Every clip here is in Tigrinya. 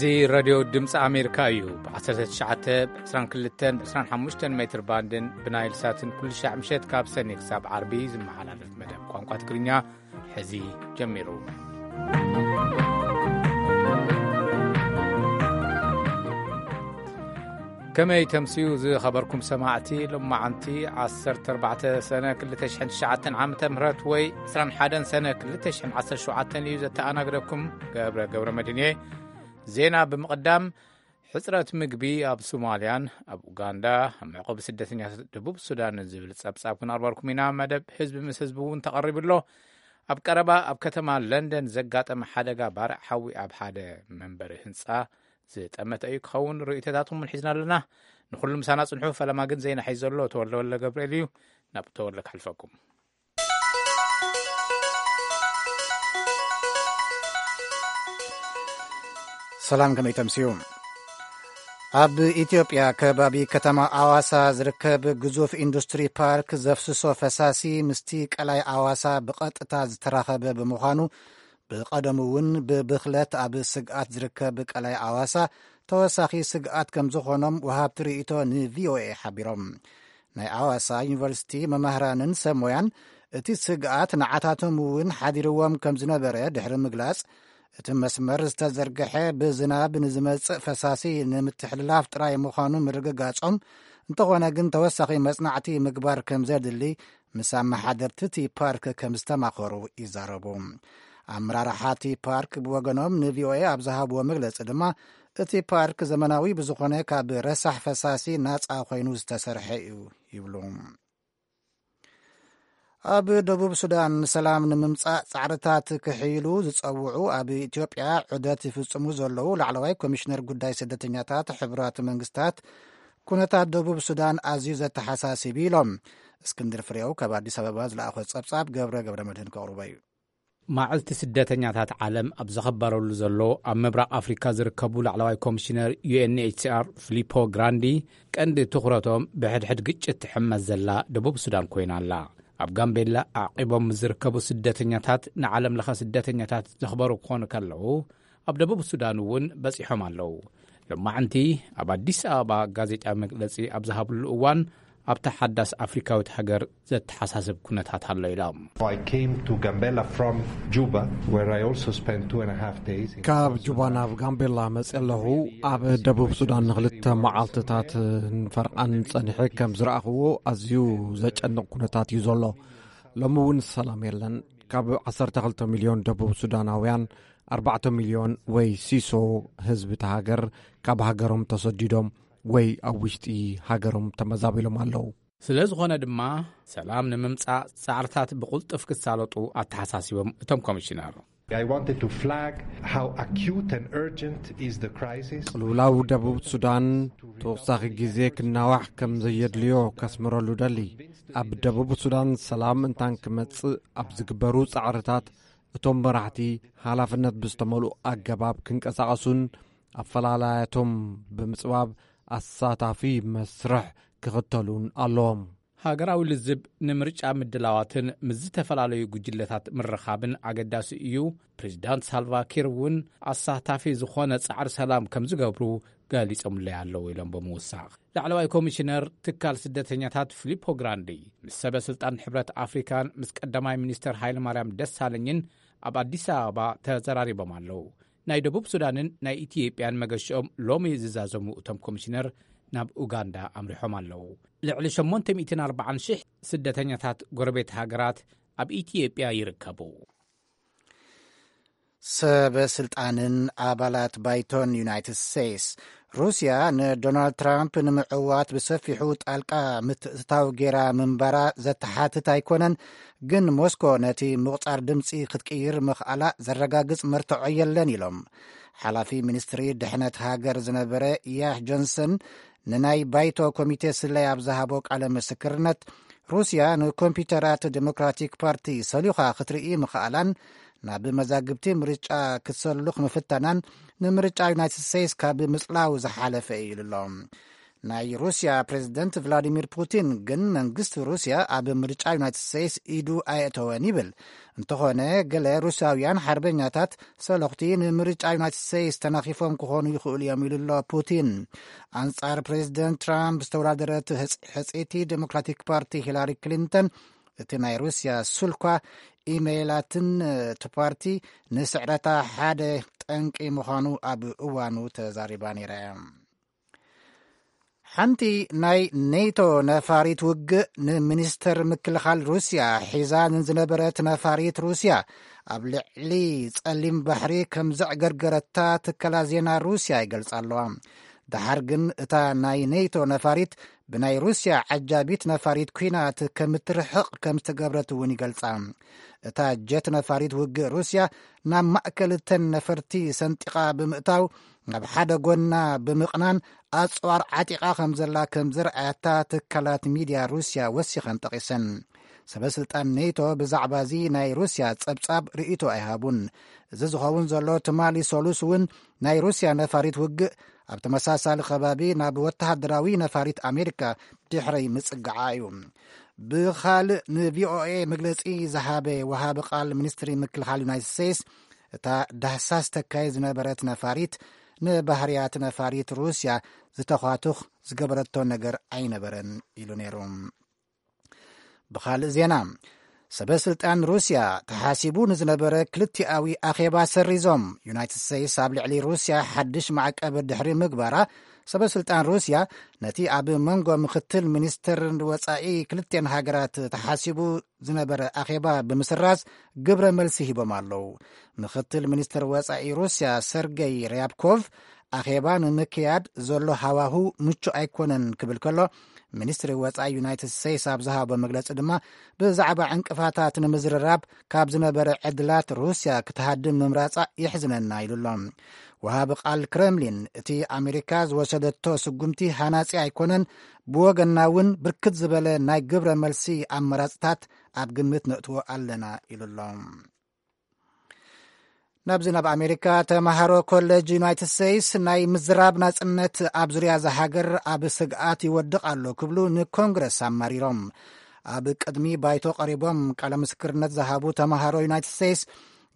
እዚ ራድዮ ድምፂ ኣሜሪካ እዩ። ብ19፣ ብ22፣ ብ25 ሜትር ባንድን ብናይል ሳትን ኩሉ ሻዕ ምሸት ካብ ሰኒ ክሳብ ዓርቢ ዝመሓላለፍ መደብ ቋንቋ ትግርኛ ሕዚ ጀሚሩ። ከመይ ተምስዩ ዝኸበርኩም ሰማዕቲ? ሎማዓንቲ ዓሰርተ ኣርባዕተ ሰነ ክልተ ሽሕን ትሽዓተን ዓመተ ምህረት ወይ ዕስራን ሓደን ሰነ ክልተ ሽሕን ዓሰርተ ሸውዓተን እዩ ዘተኣናግደኩም ገብረ ገብረ መድህን እየ። ዜና ብምቕዳም፣ ሕጽረት ምግቢ ኣብ ሶማልያን ኣብ ኡጋንዳ፣ ኣብ መዕቆቢ ስደተኛታት ደቡብ ሱዳን ዝብል ጸብጻብ ክንቕርበልኩም ኢና። መደብ ህዝቢ ምስ ህዝቢ እውን ተቐሪቡ ኣሎ። ኣብ ቀረባ ኣብ ከተማ ለንደን ዘጋጠመ ሓደጋ ባርዕ ሓዊ ኣብ ሓደ መንበሪ ህንጻ ዝጠመተ እዩ ክኸውን። ርእይቶታትኩም እውን ሒዝና ኣለና። ንኹሉ ምሳና ጽንሑ። ፈለማ ግን ዜና ሒዙ ዘሎ ተወልደ ወልደ ገብርኤል እዩ። ናብ ተወልደ ከሕልፈኩም። ሰላም፣ ከመይ ተምስዩ? ኣብ ኢትዮጵያ ከባቢ ከተማ ኣዋሳ ዝርከብ ግዙፍ ኢንዱስትሪ ፓርክ ዘፍስሶ ፈሳሲ ምስቲ ቀላይ ኣዋሳ ብቐጥታ ዝተራኸበ ብምዃኑ፣ ብቐደሙ እውን ብብኽለት ኣብ ስግኣት ዝርከብ ቀላይ ኣዋሳ ተወሳኺ ስግኣት ከም ዝኾኖም ወሃብቲ ርእይቶ ንቪኦኤ ሓቢሮም። ናይ ኣዋሳ ዩኒቨርሲቲ መማህራንን ሰብ ሞያን እቲ ስግኣት ንዓታቶም እውን ሓዲርዎም ከም ዝነበረ ድሕሪ ምግላጽ፣ እቲ መስመር ዝተዘርግሐ ብዝናብ ንዝመጽእ ፈሳሲ ንምትሕልላፍ ጥራይ ምዃኑ ምርግጋጾም፣ እንተኾነ ግን ተወሳኺ መጽናዕቲ ምግባር ከም ዘድሊ ምስ ኣመሓደርቲ እቲ ፓርክ ከም ዝተማኸሩ ይዛረቡ። ኣመራርሓ እቲ ፓርክ ብወገኖም ንቪኦኤ ኣብ ዝሃብዎ መግለጺ ድማ፣ እቲ ፓርክ ዘመናዊ ብዝኾነ ካብ ረሳሕ ፈሳሲ ናጻ ኮይኑ ዝተሰርሐ እዩ ይብሉ። ኣብ ደቡብ ሱዳን ሰላም ንምምጻእ ጻዕርታት ክሕይሉ ዝጸውዑ ኣብ ኢትዮጵያ ዑደት ይፍጽሙ ዘለዉ ላዕለዋይ ኮሚሽነር ጉዳይ ስደተኛታት ሕቡራት መንግስታት፣ ኩነታት ደቡብ ሱዳን ኣዝዩ ዘተሓሳስብ ኢሎም። እስክንድር ፍሬው ካብ ኣዲስ ኣበባ ዝለኣኾ ጸብጻብ ገብረ ገብረ መድህን ከቕርቦ እዩ። ማዕልቲ ስደተኛታት ዓለም ኣብ ዘኸበረሉ ዘሎ፣ ኣብ ምብራቕ ኣፍሪካ ዝርከቡ ላዕለዋይ ኮሚሽነር ዩ ኤን ኤች ሲ ኣር ፊሊፖ ግራንዲ፣ ቀንዲ ትኹረቶም ብሕድሕድ ግጭት ትሕመስ ዘላ ደቡብ ሱዳን ኮይና ኣላ። ኣብ ጋምቤላ ኣዕቂቦም ዝርከቡ ስደተኛታት ንዓለም ለኸ ስደተኛታት ዘኽበሩ ክኾኑ ከለዉ፣ ኣብ ደቡብ ሱዳን እውን በጺሖም ኣለዉ። ሎማዕንቲ ኣብ ኣዲስ ኣበባ ጋዜጣዊ መግለጺ ኣብ ዝሃብሉ እዋን፣ ኣብታ ሓዳስ ኣፍሪካዊት ሃገር ዘተሓሳስብ ኩነታት ኣሎ ኢሎም። I came to Gambela from Juba, where I also spent two and a half days in ካብ South ጁባ Sudan. ናብ ጋምቤላ መጽእ ኣለኹ። ኣብ ደቡብ ሱዳን ንክልተ መዓልትታት ንፈርቓን ጸኒሐ ከም ዝረኣኽዎ፣ ኣዝዩ ዘጨንቕ ኩነታት እዩ ዘሎ። ሎሚ እውን ሰላም የለን። ካብ ዓሰርተ ክልተ ሚልዮን ደቡብ ሱዳናውያን፣ ኣርባዕተ ሚልዮን ወይ ሲሶ ህዝቢ እቲ ሃገር ካብ ሃገሮም ተሰዲዶም ወይ ኣብ ውሽጢ ሃገሮም ተመዛቢሎም ኣለዉ። ስለ ዝኾነ ድማ፣ ሰላም ንምምጻእ ጻዕርታት ብቕልጡፍ ክሳለጡ ኣተሓሳሲቦም እቶም ኮሚሽነር። I wanted to flag how acute and urgent is the crisis. ቅልውላው ደቡብ ሱዳን ተወሳኺ ግዜ ክናዋሕ ከም ዘየድልዮ ከስምረሉ ደሊ። ኣብ ደቡብ ሱዳን ሰላም እንታን ክመጽእ ኣብ ዝግበሩ ጻዕርታት፣ እቶም መራሕቲ ሓላፍነት ብዝተመልኡ ኣገባብ ክንቀሳቐሱን ኣፈላላያቶም ብምጽባብ ኣሳታፊ መስርሕ ክኽተሉን ኣለዎም። ሃገራዊ ልዝብ ንምርጫ ምድላዋትን ምስ ዝተፈላለዩ ጉጅለታት ምርኻብን ኣገዳሲ እዩ። ፕሬዚዳንት ሳልቫ ኪር እውን ኣሳታፊ ዝኾነ ጻዕሪ ሰላም ከም ዝገብሩ ገሊጾምለይ ኣለዉ ኢሎም ብምውሳኽ፣ ላዕለዋይ ኮሚሽነር ትካል ስደተኛታት ፊሊፖ ግራንዲ ምስ ሰበ ስልጣን ሕብረት ኣፍሪካን ምስ ቀዳማይ ሚኒስተር ሃይለ ማርያም ደሳለኝን ኣብ ኣዲስ ኣበባ ተዘራሪቦም ኣለዉ። ናይ ደቡብ ሱዳንን ናይ ኢትዮጵያን መገሽኦም ሎሚ ዝዛዘሙ እቶም ኮሚሽነር ናብ ኡጋንዳ ኣምሪሖም ኣለዉ። ልዕሊ ሸሞንተ ሚእትን ኣርባዓን ሽሕ ስደተኛታት ጎረቤት ሃገራት ኣብ ኢትዮጵያ ይርከቡ። ሰበ ስልጣንን ኣባላት ባይቶን ዩናይትድ ስቴትስ፣ ሩስያ ንዶናልድ ትራምፕ ንምዕዋት ብሰፊሑ ጣልቃ ምትእትታው ጌራ ምንባራ ዘተሓትት ኣይኮነን፣ ግን ሞስኮ ነቲ ምቑጻር ድምጺ ክትቅይር ምኽኣላ ዘረጋግጽ መርትዖ የለን ኢሎም። ሓላፊ ሚኒስትሪ ድሕነት ሃገር ዝነበረ ያህ ጆንሰን ንናይ ባይቶ ኮሚቴ ስለያ ኣብ ዝሃቦ ቃለ ምስክርነት፣ ሩስያ ንኮምፒውተራት ዴሞክራቲክ ፓርቲ ሰሊኻ ክትርኢ ምኽኣላን ናብ መዛግብቲ ምርጫ ክትሰሉኽ ምፍታናን፣ ንምርጫ ዩናይትድ ስቴትስ ካብ ምጽላው ዝሓለፈ እዩ ኢሉ ኣሎ። ናይ ሩስያ ፕሬዝደንት ቭላዲሚር ፑቲን ግን መንግስቲ ሩስያ ኣብ ምርጫ ዩናይትድ ስቴትስ ኢዱ ኣየእተወን ይብል። እንተኾነ፣ ገለ ሩስያውያን ሓርበኛታት ሰለኽቲ ንምርጫ ዩናይትድ ስቴትስ ተናኺፎም ክኾኑ ይኽእሉ እዮም ኢሉ ኣሎ ፑቲን። ኣንጻር ፕሬዝደንት ትራምፕ ዝተወዳደረት ህጽ-፣ ሕጽይቲ ዴሞክራቲክ ፓርቲ ሂላሪ ክሊንተን፣ እቲ ናይ ሩስያ ስልኳ፣ ኢሜይላትን እቲ ፓርቲ ንስዕረታ ሓደ ጠንቂ ምዃኑ ኣብ እዋኑ ተዛሪባ ነይራ እያ። ሓንቲ ናይ ኔቶ ነፋሪት ውግእ፣ ንሚኒስተር ምክልኻል ሩስያ ሒዛ ንዝነበረት ነፋሪት ሩስያ ኣብ ልዕሊ ጸሊም ባሕሪ ከም ዘዕገርገረታ ትካላት ዜና ሩስያ ይገልጻ ኣለዋ። ደሓር ግን እታ ናይ ኔቶ ነፋሪት ብናይ ሩስያ ዓጃቢት ነፋሪት ኲናት ከምትርሕቕ ከም ዝተገብረት እውን ይገልጻ። እታ ጀት ነፋሪት ውግእ ሩስያ ናብ ማእከል እተን ነፈርቲ ሰንጢቓ ብምእታው፣ ናብ ሓደ ጎና ብምቕናን ኣጽዋር ዓጢቓ ከም ዘላ ከም ዘርኣያታ ትካላት ሚድያ ሩስያ ወሲኸን ጠቒሰን። ሰበ ስልጣን ኔቶ ብዛዕባ እዚ ናይ ሩስያ ጸብጻብ ርእይቶ ኣይሃቡን። እዚ ዝኸውን ዘሎ ትማሊ ሰሉስ እውን ናይ ሩስያ ነፋሪት ውግእ ኣብ ተመሳሳሊ ከባቢ ናብ ወተሃደራዊ ነፋሪት ኣሜሪካ ድሕሪ ምጽግዓ እዩ። ብኻልእ፣ ንቪኦኤ መግለጺ ዝሃበ ወሃቢ ቃል ሚኒስትሪ ምክልኻል ዩናይትድ ስቴትስ፣ እታ ዳህሳስ ተካይ ዝነበረት ነፋሪት ንባህርያት ነፋሪት ሩስያ ዝተኳትኽ ዝገበረቶ ነገር ኣይነበረን ኢሉ ነይሩ። ብኻልእ ዜና፣ ሰበ ስልጣን ሩስያ ተሓሲቡ ንዝነበረ ክልቲኣዊ ኣኼባ ሰሪዞም። ዩናይትድ ስቴትስ ኣብ ልዕሊ ሩስያ ሓድሽ ማዕቀብ ድሕሪ ምግባራ፣ ሰበ ስልጣን ሩስያ ነቲ ኣብ መንጎ ምክትል ሚኒስትር ወጻኢ ክልቲኤን ሃገራት ተሓሲቡ ዝነበረ ኣኼባ ብምስራዝ ግብረ መልሲ ሂቦም ኣለዉ። ምክትል ሚኒስትር ወጻኢ ሩስያ ሰርገይ ርያብኮቭ፣ ኣኼባ ንምክያድ ዘሎ ሃዋሁ ምቹእ ኣይኮነን ክብል ከሎ፣ ሚኒስትሪ ወጻኢ ዩናይትድ ስቴትስ ኣብ ዝሃቦ መግለጺ ድማ፣ ብዛዕባ ዕንቅፋታት ንምዝርራብ ካብ ዝነበረ ዕድላት ሩስያ ክትሃድም ምምራጻ የሕዝነና ኢሉ ኣሎ። ወሃቢ ቃል ክረምሊን፣ እቲ ኣሜሪካ ዝወሰደቶ ስጉምቲ ሃናጺ ኣይኮነን፣ ብወገንና እውን ብርክት ዝበለ ናይ ግብረ መልሲ ኣመራጽታት ኣብ ግምት ነእትዎ ኣለና ኢሉ ኣሎ። ናብዚ ናብ ኣሜሪካ፣ ተማሃሮ ኮሌጅ ዩናይትድ ስቴትስ ናይ ምዝራብ ናጽነት ኣብ ዙርያ እዛ ሃገር ኣብ ስግኣት ይወድቕ ኣሎ ክብሉ ንኮንግረስ ኣማሪሮም። ኣብ ቅድሚ ባይቶ ቀሪቦም ቃለ ምስክርነት ዝሃቡ ተማሃሮ ዩናይትድ ስቴትስ፣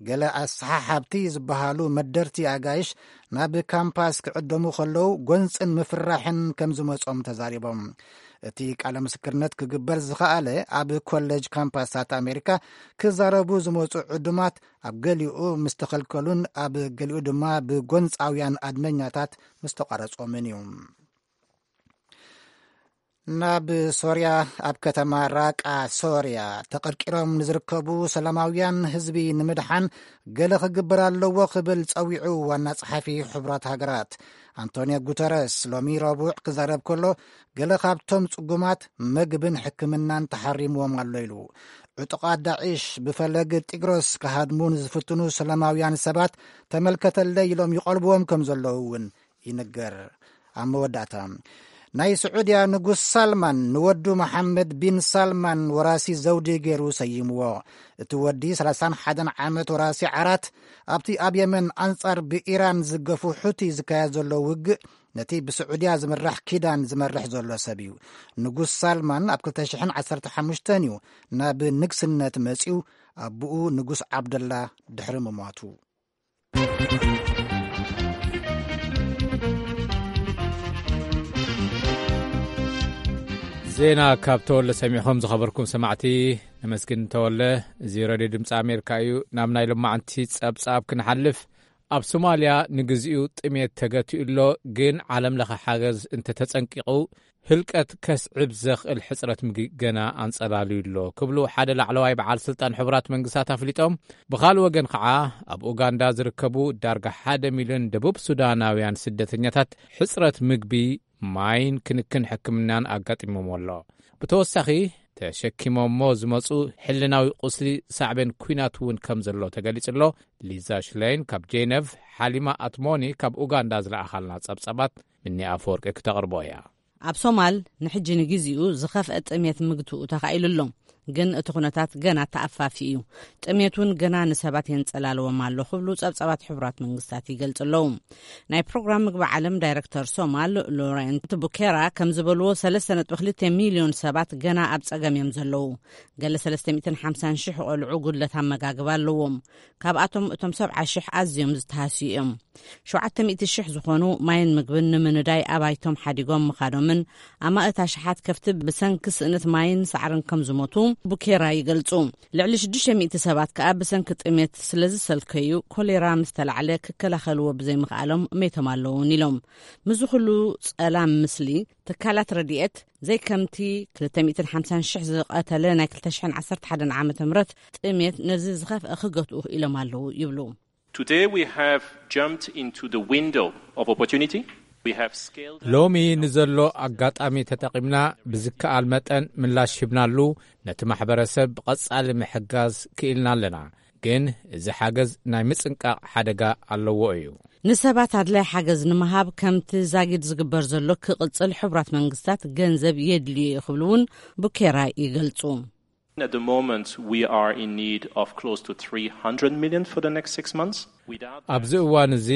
ገለ ኣሰሓሓብቲ ዝበሃሉ መደርቲ ኣጋይሽ ናብ ካምፓስ ክዕደሙ ከለዉ ጎንጽን ምፍርራሕን ከም ዝመጾም ተዛሪቦም። እቲ ቃለ ምስክርነት ክግበር ዝኸኣለ ኣብ ኮሌጅ ካምፓሳት ኣሜሪካ ክዛረቡ ዝመጹ ዕዱማት ኣብ ገሊኡ ምስ ተኸልከሉን ኣብ ገሊኡ ድማ ብጎንጻውያን ኣድመኛታት ምስ ተቋረጾምን እዩ። ናብ ሶርያ፣ ኣብ ከተማ ራቃ ሶርያ ተቐርቂሮም ንዝርከቡ ሰላማውያን ህዝቢ ንምድሓን ገለ ክግበር ኣለዎ ክብል ጸዊዑ ዋና ጸሓፊ ሕቡራት ሃገራት። ኣንቶኒዮ ጉተረስ ሎሚ ረቡዕ ክዛረብ ከሎ፣ ገለ ካብቶም ጽጉማት መግብን ሕክምናን ተሓሪምዎም ኣሎ ኢሉ። ዕጡቓት ዳዒሽ ብፈለግ ጢግሮስ ክሃድሙ ንዝፍትኑ ሰላማውያን ሰባት ተመልከተለይ ኢሎም ይቐልብዎም ከም ዘለዉ እውን ይንገር። ኣብ መወዳእታ፣ ናይ ስዑድያ ንጉስ ሳልማን ንወዱ መሓመድ ቢን ሳልማን ወራሲ ዘውዲ ገይሩ ሰይምዎ። እቲ ወዲ ሰላሳን ሓደን ዓመት ወራሲ ዓራት፣ ኣብቲ ኣብ የመን ኣንጻር ብኢራን ዝገፉ ሑቲ ዝካየድ ዘሎ ውግእ፣ ነቲ ብስዑድያ ዝምራሕ ኪዳን ዝመርሕ ዘሎ ሰብ እዩ። ንጉስ ሳልማን ኣብ ክልተ ሽሕን ዓሰርተ ሓሙሽተን እዩ ናብ ንግስነት መጺኡ፣ ኣቦኡ ንጉስ ዓብደላ ድሕሪ ምሟቱ። ዜና ካብ ተወለ ሰሚዕኹም ዝኸበርኩም ሰማዕቲ፣ ነመስግን ተወለ። እዚ ሬድዮ ድምፂ ኣሜሪካ እዩ። ናብ ናይ ሎማዓንቲ ጸብጻብ ክንሓልፍ፣ ኣብ ሶማልያ ንግዚኡ ጥሜት ተገቲኡ ኣሎ፣ ግን ዓለም ለኸ ሓገዝ እንተተጸንቂቑ ህልቀት ከስዕብ ዘኽእል ሕጽረት ምግቢ ገና ኣንጸላልዩ ኣሎ ክብሉ ሓደ ላዕለዋይ በዓል ስልጣን ሕቡራት መንግስታት ኣፍሊጦም። ብኻልእ ወገን ኸዓ ኣብ ኡጋንዳ ዝርከቡ ዳርጋ ሓደ ሚልዮን ደቡብ ሱዳናውያን ስደተኛታት ሕጽረት ምግቢ፣ ማይን ክንክን ሕክምናን ኣጋጢሞም ኣሎ። ብተወሳኺ ተሸኪሞሞ ዝመጹ ሕልናዊ ቁስሊ ሳዕቤን ኲናት እውን ከም ዘሎ ተገሊጹ ኣሎ። ሊዛ ሽለይን ካብ ጄነቭ፣ ሓሊማ ኣትሞኒ ካብ ኡጋንዳ ዝለኣኻልና ጸብጻባት ምኒ ኣፈወርቂ ክተቕርቦ እያ። ኣብ ሶማል ንሕጂ ንግዜኡ ዝኸፍአ ጥሜት ምግትኡ ተኻኢሉ ኣሎ። ግን እቲ ኩነታት ገና ተኣፋፊ እዩ። ጥሜት እውን ገና ንሰባት የንጸላልዎም ኣሎ ክብሉ ጸብጻባት ሕቡራት መንግስታት ይገልጹ ኣለዉ። ናይ ፕሮግራም ምግቢ ዓለም ዳይረክተር ሶማል ሎረንት ቡኬራ ከም ዝበልዎ፣ ሰለስተ ነጥቢ ክልተ ሚልዮን ሰባት ገና ኣብ ጸገም እዮም ዘለዉ። ገለ ሰለስተ ሚእትን ሓምሳን ሽሕ ቆልዑ ጉድለት ኣመጋግባ ኣለዎም። ካብኣቶም እቶም ሰብዓ ሽሕ ኣዝዮም ዝተሃስዩ እዮም። ሸውዓተ ሚእቲ ሽሕ ዝኾኑ ማይን ምግብን ንምንዳይ ኣባይቶም ሓዲጎም ምኻዶምን ኣማእት ኣሽሓት ከፍቲ ብሰንኪ ስእነት ማይን ሳዕርን ከም ዝሞቱ ቡኬራ ይገልጹ። ልዕሊ ሽዱሽተ ሚእቲ ሰባት ከኣ ብሰንኪ ጥሜት ስለ ዝሰልከዩ፣ ኮሌራ ምስ ተላዕለ ክከላኸልዎ ብዘይምኽኣሎም ሜቶም ኣለውን ኢሎም። ምስዚ ኩሉ ጸላም፣ ምስሊ ትካላት ረድኤት ዘይከምቲ ክልተ ሚእትን ሓምሳን ሽሕ ዝቐተለ ናይ ክልተ ሽሕን ዓሰርተ ሓደን ዓመተ ምህረት ጥሜት ነዚ ዝኸፍአ ክገትኡ ኢሎም ኣለዉ ይብሉ። Today we have jumped into the window of opportunity. We have scaled up. ሎሚ ንዘሎ ኣጋጣሚ ተጠቒምና ብዝከኣል መጠን ምላሽ ሂብናሉ፣ ነቲ ማሕበረሰብ ብቐጻሊ ምሕጋዝ ክኢልና ኣለና። ግን እዚ ሓገዝ ናይ ምጽንቃቕ ሓደጋ ኣለዎ እዩ። ንሰባት ኣድላይ ሓገዝ ንምሃብ ከምቲ ዛጊድ ዝግበር ዘሎ ክቕጽል ሕቡራት መንግስታት ገንዘብ የድልዮ እዩ ክብሉ እውን ቡኬራ ይገልጹ። At the moment, we are in need of close to three hundred million for the next six months. Without that ኣብዚ እዋን እዚ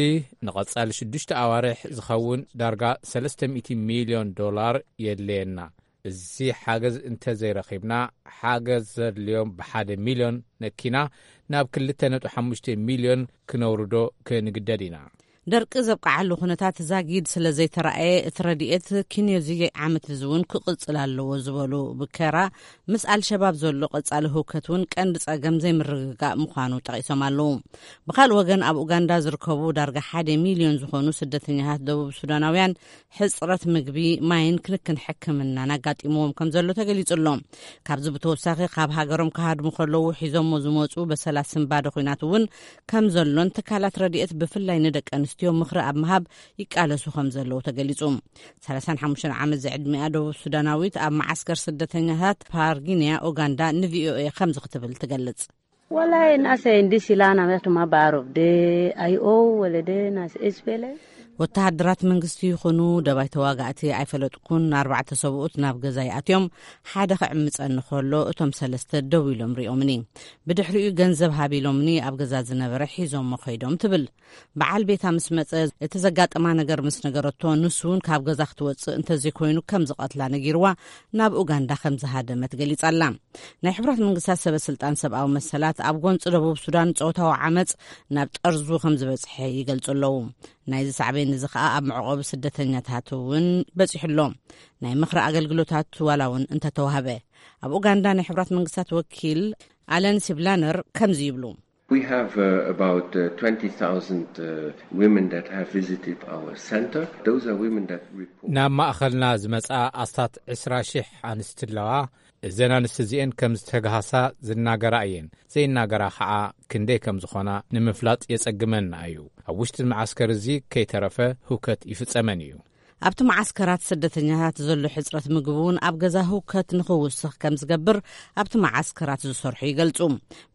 ንቐጻሊ ሽዱሽተ ኣዋርሕ ዝኸውን ዳርጋ ሰለስተ ሚእቲ ሚልዮን ዶላር የድልየና። እዚ ሓገዝ እንተዘይረኺብና፣ ሓገዝ ዘድልዮም ብሓደ ሚልዮን ነኪና ናብ ክልተ ነጥቢ ሓሙሽተ ሚልዮን ክነውርዶ ክንግደድ ኢና። ደርቂ ዘብቅዓሉ ኩነታት ዛጊድ ስለ ዘይተራእየ፣ እቲ ረድኤት ኪንዮዚ ዓመት እዚ እውን ክቕጽል ኣለዎ ዝበሉ ብከራ፣ ምስ ኣልሸባብ ዘሎ ቀጻሊ ህውከት እውን ቀንዲ ጸገም ዘይምርግጋእ ምዃኑ ጠቒሶም ኣለዉ። ብኻልእ ወገን፣ ኣብ ኡጋንዳ ዝርከቡ ዳርጋ ሓደ ሚልዮን ዝኾኑ ስደተኛታት ደቡብ ሱዳናውያን ሕጽረት ምግቢ፣ ማይን ክንክን ሕክምናን ኣጋጢምዎም ከም ዘሎ ተገሊጹ ኣሎ። ካብዚ ብተወሳኺ፣ ካብ ሃገሮም ክሃድሙ ከለዉ ሒዞሞ ዝመጹ በሰላስን ባዶ ኲናት እውን ከም ዘሎን፣ ትካላት ረድኤት ብፍላይ ንደቂ ኣንስትዮ ምኽሪ ኣብ ምሃብ ይቃለሱ ከም ዘለዉ ተገሊጹ። ሰላሳን ሓሙሽተን ዓመት ዝዕድሚኣ ደቡብ ሱዳናዊት ኣብ መዓስከር ስደተኛታት ፓርጊንያ ኡጋንዳ ንቪኦኤ ከምዚ ክትብል ትገልጽ። Wallahi, nase indi silana metu mabarov de ayo wala de nase espele. ወተሃደራት መንግስቲ ይኹኑ ደባይ ተዋጋእቲ ኣይፈለጥኩን። ኣርባዕተ ሰብኡት ናብ ገዛ ይኣትዮም። ሓደ ክዕምጸኒ ከሎ፣ እቶም ሰለስተ ደው ኢሎም ሪኦምኒ። ብድሕሪኡ ገንዘብ ሃብ ኢሎምኒ፣ ኣብ ገዛ ዝነበረ ሒዞሞ ከይዶም ትብል። በዓል ቤታ ምስ መጸ፣ እቲ ዘጋጠማ ነገር ምስ ነገረቶ፣ ንሱ እውን ካብ ገዛ ክትወጽእ እንተዘይኮይኑ ከም ዝቐትላ ነጊርዋ፣ ናብ ኡጋንዳ ከም ዝሃደመት ገሊጻ ኣላ። ናይ ሕቡራት መንግስታት ሰበ ስልጣን ሰብኣዊ መሰላት፣ ኣብ ጎንጺ ደቡብ ሱዳን ጾታዊ ዓመጽ ናብ ጠርዙ ከም ዝበጽሐ ይገልጹ ኣለዉ። ናይዚ ሳዕቤን እዚ ከኣ ኣብ መዕቆቢ ስደተኛታት እውን በጺሑ ኣሎ። ናይ ምኽሪ ኣገልግሎታት ዋላ እውን እንተተዋህበ፣ ኣብ ኡጋንዳ ናይ ሕቡራት መንግስታት ወኪል ኣለን ሲብላነር ከምዚ ይብሉ። We have uh, about uh, twenty thousand uh, women that have visited our center. Those are women that report. ናብ ማእኸልና ዝመጻ ኣስታት ዕስራ ሺሕ ኣንስቲ ኣለዋ። እዘን ኣንስቲ እዚኤን ከም ዝተግሃሳ ዝናገራ እየን። ዘይናገራ ኸዓ ክንደይ ከም ዝኾና ንምፍላጥ የጸግመና እዩ። ኣብ ውሽጢ መዓስከር እዚ ከይተረፈ ህውከት ይፍጸመን እዩ። ኣብቲ መዓስከራት ስደተኛታት ዘሎ ሕጽረት ምግቢ እውን ኣብ ገዛ ህውከት ንኽውስኽ ከም ዝገብር ኣብቲ መዓስከራት ዝሰርሑ ይገልጹ።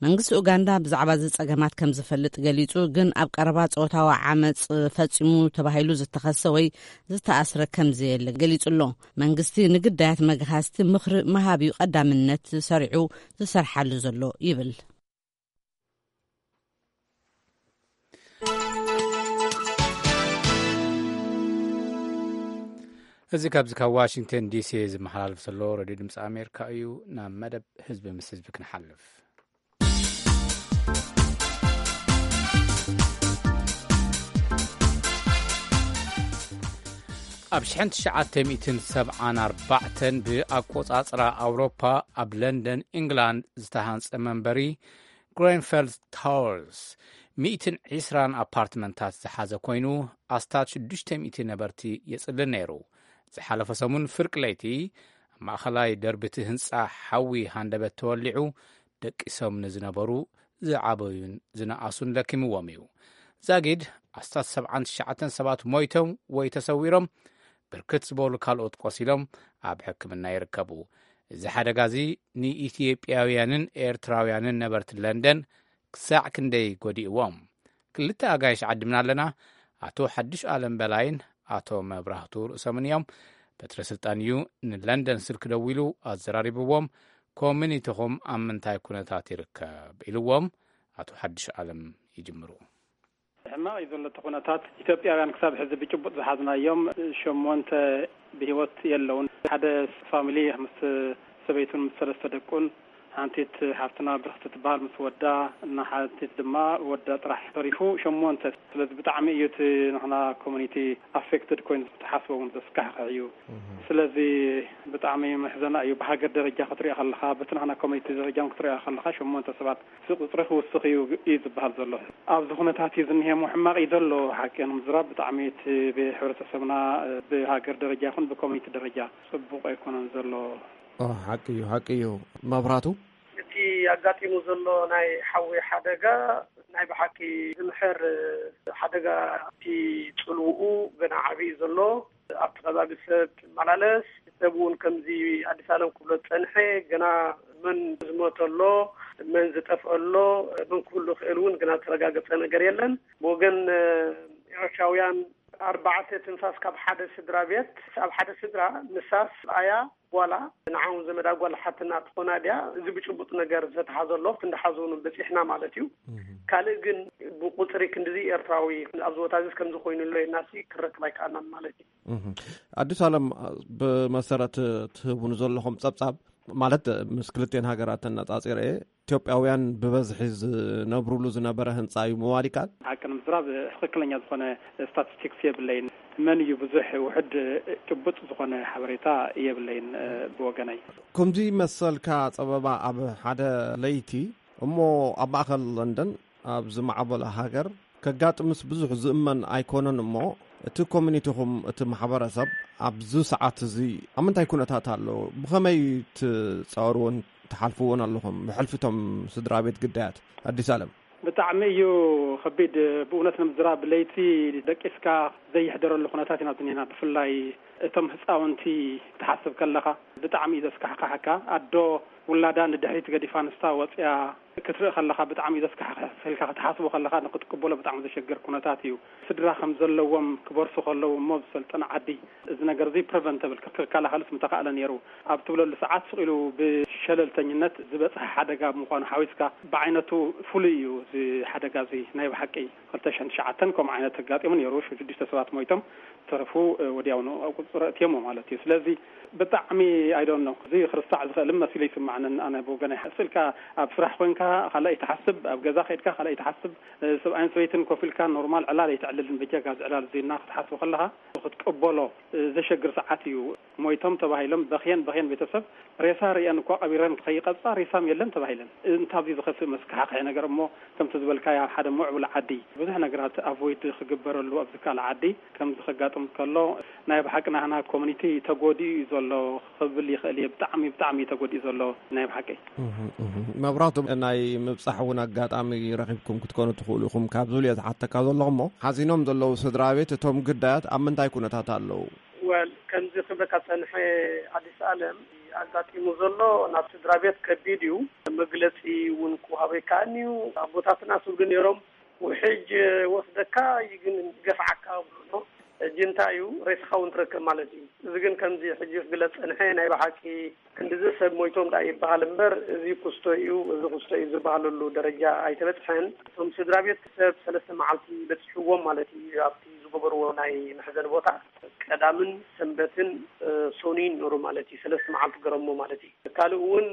መንግስቲ ኡጋንዳ ብዛዕባ እዚ ጸገማት ከም ዝፈልጥ ገሊጹ፣ ግን ኣብ ቀረባ ጾታዊ ዓመጽ ፈጺሙ ተባሂሉ ዝተኸሰ ወይ ዝተኣስረ ከም ዘየለ ገሊጹ ኣሎ። መንግስቲ ንግዳያት መግሃስቲ ምኽሪ ምሃብ እዩ ቀዳምነት ሰሪዑ ዝሰርሓሉ ዘሎ ይብል። እዚ ካብዚ ካብ ዋሽንግተን ዲሲ ዝመሓላለፍ ዘሎ ሬድዮ ድምፂ ኣሜሪካ እዩ። ናብ መደብ ህዝቢ ምስ ህዝቢ ክንሓልፍ። ኣብ ሽሕን ትሽዓተ ሚእትን ሰብዓን ኣርባዕተን ብኣቆጻጽራ ኣውሮፓ ኣብ ለንደን ኢንግላንድ ዝተሃንጸ መንበሪ ግሬንፌል ታወርስ ሚእትን ዕስራን ኣፓርትመንታት ዝሓዘ ኮይኑ፣ ኣስታት ሽዱሽተ ሚእቲ ነበርቲ የጽልል ነይሩ። ዝሓለፈ ሰሙን ፍርቂ ለይቲ ኣብ ማእኸላይ ደርቢ እቲ ህንጻ ሓዊ ሃንደበት ተወሊዑ፣ ደቂሶም ንዝነበሩ ዝዓበዩን ዝነኣሱን ለኪምዎም እዩ። ዛጊድ ኣስታት ሰብዓን ትሽዓተን ሰባት ሞይቶም ወይ ተሰዊሮም፣ ብርክት ዝበሉ ካልኦት ቆሲሎም ኣብ ሕክምና ይርከቡ። እዚ ሓደጋ እዚ ንኢትዮጵያውያንን ኤርትራውያንን ነበርቲ ለንደን ክሳዕ ክንደይ ጎዲእዎም? ክልተ ኣጋይሽ ዓዲምና ኣለና። ኣቶ ሓድሽ ኣለም በላይን ኣቶ መብራህቱ ርእሶምን እዮም። በትረ ስልጣን እዩ ንለንደን ስልኪ ደዊሉ ኣዘራሪብዎም። ኮሚኒቲኹም ኣብ ምንታይ ኩነታት ይርከብ? ኢልዎም ኣቶ ሓድሽ ኣለም ይጅምሩ። ሕማቕ እዩ ዘሎ እቲ ኩነታት። ኢትዮጵያውያን ክሳብ ሕዚ ብጭቡጥ ዝሓዝናዮም ሸሞንተ ብህይወት የለውን። ሓደ ፋሚሊ ምስ ሰበይቱን ምስ ሰለስተ ደቁን፣ ሓንቲት ሓፍትና ብርኽቲ ትበሃል ምስ ወዳ፣ እና ሓንቲት ድማ ወዳ ጥራሕ ተሪፉ፣ ሸሞንተ። ስለዚ ብጣዕሚ እዩ እቲ ንሕና ኮሚኒቲ ኣፌክትድ ኮይኑ፣ ትሓስቦ እውን ዘስካሕክሕ እዩ። ስለዚ ብጣዕሚ መሕዘና እዩ። ብሃገር ደረጃ ክትሪኦ ከለኻ፣ በቲ ንሕና ኮሚኒቲ ደረጃ እውን ክትሪኦ ከለኻ፣ ሸሞንተ ሰባት እቲ ቁፅሪ ክውስኽ እዩ፣ እዩ ዝበሃል ዘሎ። ኣብዚ ኩነታት እዩ ዝኒሄ እሞ ሕማቕ እዩ ዘሎ። ሓቂ ንምዝራብ ብጣዕሚ እቲ ብሕብረተሰብና፣ ብሃገር ደረጃ ይኹን ብኮሚኒቲ ደረጃ ጽቡቕ ኣይኮነን ዘሎ። ኦ፣ ሓቂ እዩ፣ ሓቂ እዩ። መብራቱ? እቲ ኣጋጢሙ ዘሎ ናይ ሓዊ ሓደጋ ናይ ብሓቂ ዝምሕር ሓደጋ፣ እቲ ጽልውኡ ገና ዓቢ እዩ ዘሎ። ኣብቲ ከባቢ ሰብ ትመላለስ፣ ሰብ እውን ከምዚ ኣዲስ ኣለም ክብሎ ዝጸንሐ፣ ገና መን ዝሞተ ኣሎ፣ መን ዝጠፍአ ኣሎ፣ መን ክህሉ ይኽእል እውን ግና ዝተረጋገጸ ነገር የለን። ብወገን፣ እ፣ ኤርትራውያን ኣርባዕተ ትንፋስ ካብ ሓደ ስድራ ቤት፣ ኣብ ሓደ ስድራ ንሳ ሰብኣያ ጓላ፣ ንዓውን ዘመዳ ጓል ሓትና ትኾና ድያ? እዚ ብጭቡጥ ነገር ዝተተሓዘ ኣሎ፣ ክንዲ ሓዘኑ በጺሕና ማለት እዩ። ካልእ ግን ብቁጽሪ ክንድዚ ኤርትራዊ ኣብዚ ቦታ እዚ ከምዚ ኮይኑ ኣሎ ኢልናሲ ክረክብ ኣይከኣልናን ማለት እዩ። እህ። ኣዲስ ኣለም፣ ብመሰረት ትህቡን ዘለኹም ጸብጻብ፣ ማለት ምስ ክልቴን ሃገራት ተነጻጺረ፣ ኢትዮጵያውያን ብበዝሒ ዝነብሩሉ ዝነበረ ህንጻ እዩ ምባል ይከኣል? ሓቂ ንምዝራብ ትኽክለኛ ዝኾነ ስታቲስቲክስ የብለይን። መን እዩ ብዙሕ ውሑድ ጭቡጥ ዝኾነ ሓበሬታ የብለይን፣ እ፣ ብወገነይ። ከምዚ መሰልካ ጸበባ ኣብ ሓደ ለይቲ እሞ ኣብ ማእከል ለንደን ኣብ ዝማዕበለ ሃገር ከጋጥምስ ብዙሕ ዝእመን ኣይኮነን እሞ፣ እቲ ኮሚኒቲኹም፣ እቲ ማሕበረሰብ ኣብዚ ሰዓት እዚ ኣብ ምንታይ ኩነታት ኣሎ? ብኸመይ ትጻወርዎን ትሓልፍዎን ኣለኹም? ብሕልፊ እቶም ስድራ ቤት ግዳያት ኣዲስ ኣለም። ብጣዕሚ እዩ ከቢድ። ብእውነት ንምዝራብ ለይቲ ደቂስካ ዘይሕደረሉ ኩነታት ኢና ዝኒህና። ብፍላይ እቶም ህፃውንቲ ክትሓስብ ከለኻ ብጣዕሚ እዩ ዘስካሕክሓካ። ኣዶ ውላዳ ንድሕሪት ገዲፋ ንሳ ወፅያ ክትርኢ ከለኻ ብጣዕሚ እዩ ዘስካሕክሕ። ኢልካ ክትሓስቦ ከለኻ ንክትቅበሎ ብጣዕሚ ዘሸግር ኩነታት እዩ። ስድራ ከም ዘለዎም ክበርሱ ከለዉ እሞ ዝሰልጠነ ዓዲ እዚ ነገር እዚ ፕሪቨንተብል ክከላኸልስ ምተኻእለ ነይሩ ኣብ ትብለሉ ሰዓት ስቕ ኢሉ ብሸለልተኝነት ዝበፅሐ ሓደጋ ምዃኑ ሓዊስካ ብዓይነቱ ፍሉይ እዩ። እዚ ሓደጋ እዚ ናይ ብሓቂ ክልተ ሽሕን ትሽዓተን ከምኡ ዓይነት ኣጋጢሙ ነይሩ። ሽዱሽተ ሰባት ሞይቶም፣ ዝተረፉ፣ እ፣ ወዲያውኑ ኣብ ቁፅፅር ኣእትዮሞ ማለት እዩ። ስለዚ ብጣዕሚ፣ I don't know፣ እዚ ክርስታዕ ዝኽእል መሲሉ ይስማዕንን ኣነ ብወገነይ። ስእልካ ኣብ ስራሕ ኮንካ ካልኣይ ትሓስብ፣ ኣብ ገዛ ከድካ ካልኣይ ትሓስብ፣ እ፣ ሰብኣይን ሰበይትን ኮፍ ኢልካ ኖርማል ዕላል ኣይተዕልልን። በጃ ጋዝ ዕላል ዜና ክትሓስቦ ከለኻ ክትቅበሎ፣ እ፣ ዘሸግር ሰዓት እዩ። ሞይቶም ተባሂሎም በኽየን በኽየን ቤተሰብ ሬሳ ርእየን እኳ ቀቢረን ከይቐጻ ሬሳም የለን ተባሂለን። እንታብ ዝኸፍእ መስካሕክሒ ነገር እሞ ከምቲ ዝበልካያ ሓደ ምዕቡል ዓዲ ብዙሕ ነገራት ኣቮይድ ክግበረሉ ኣብዚ ካልእ ዓዲ ከምዚ ከጋጥም ከሎ ናይ ብሓቂ ናህና ኮሚኒቲ ተጎዲኡ እዩ ዘሎ ክብል ይኽእል እየ። ብጣዕሚ ብጣዕሚ እዩ ተጎዲኡ ዘሎ ናይ ብሓቂ። እህ፣ እህ። መብራቱ ናይ ምብጻሕ እውን ኣጋጣሚ ረኺብኩም ክትኮኑ ትኽእሉ ኢኹም ካብ ዝብል እየ ዝሓተካ ዘለኹ እሞ ሓዚኖም ዘለዉ ስድራ ቤት እቶም ግዳያት ኣብ ምንታይ ኩነታት ኣለዉ? ወል ከምዚ ክብለካ ጸንሐ ኣዲስ ኣለም ኣጋጢሙ ዘሎ ናብ ስድራ ቤት ከቢድ እዩ። መግለጺ እውን ክወሃቦ ይከኣልኒ እዩ። ኣቦታትና ስብሉ ነይሮም፣ ውሕጅ ወስደካ እዩ ግን ገፍዓካ ብሎ ጅንታ እዩ፣ ሬስኻ እውን ትረክብ ማለት እዩ። እዚ ግን ከምዚ ሕጂ ክግለጽ ጸንሐ ናይ ብሓቂ ክንድዚ ሰብ ሞይቶም ደኣ ይበሃል እምበር፣ እዚ ክስቶ እዩ፣ እዚ ክስቶ እዩ ዝበሃለሉ ደረጃ ኣይተበጽሐን። እቶም ስድራ ቤት ሰብ ሰለስተ መዓልቲ በጺሕዎም ማለት እዩ፣ ኣብቲ ዝገበርዎ ናይ መሕዘኒ ቦታ። ቀዳምን ሰንበትን፣ እ፣ ሶኑይን ነይሩ ማለት እዩ፣ ሰለስተ መዓልቲ ገረሞ ማለት እዩ። ካልእ እውን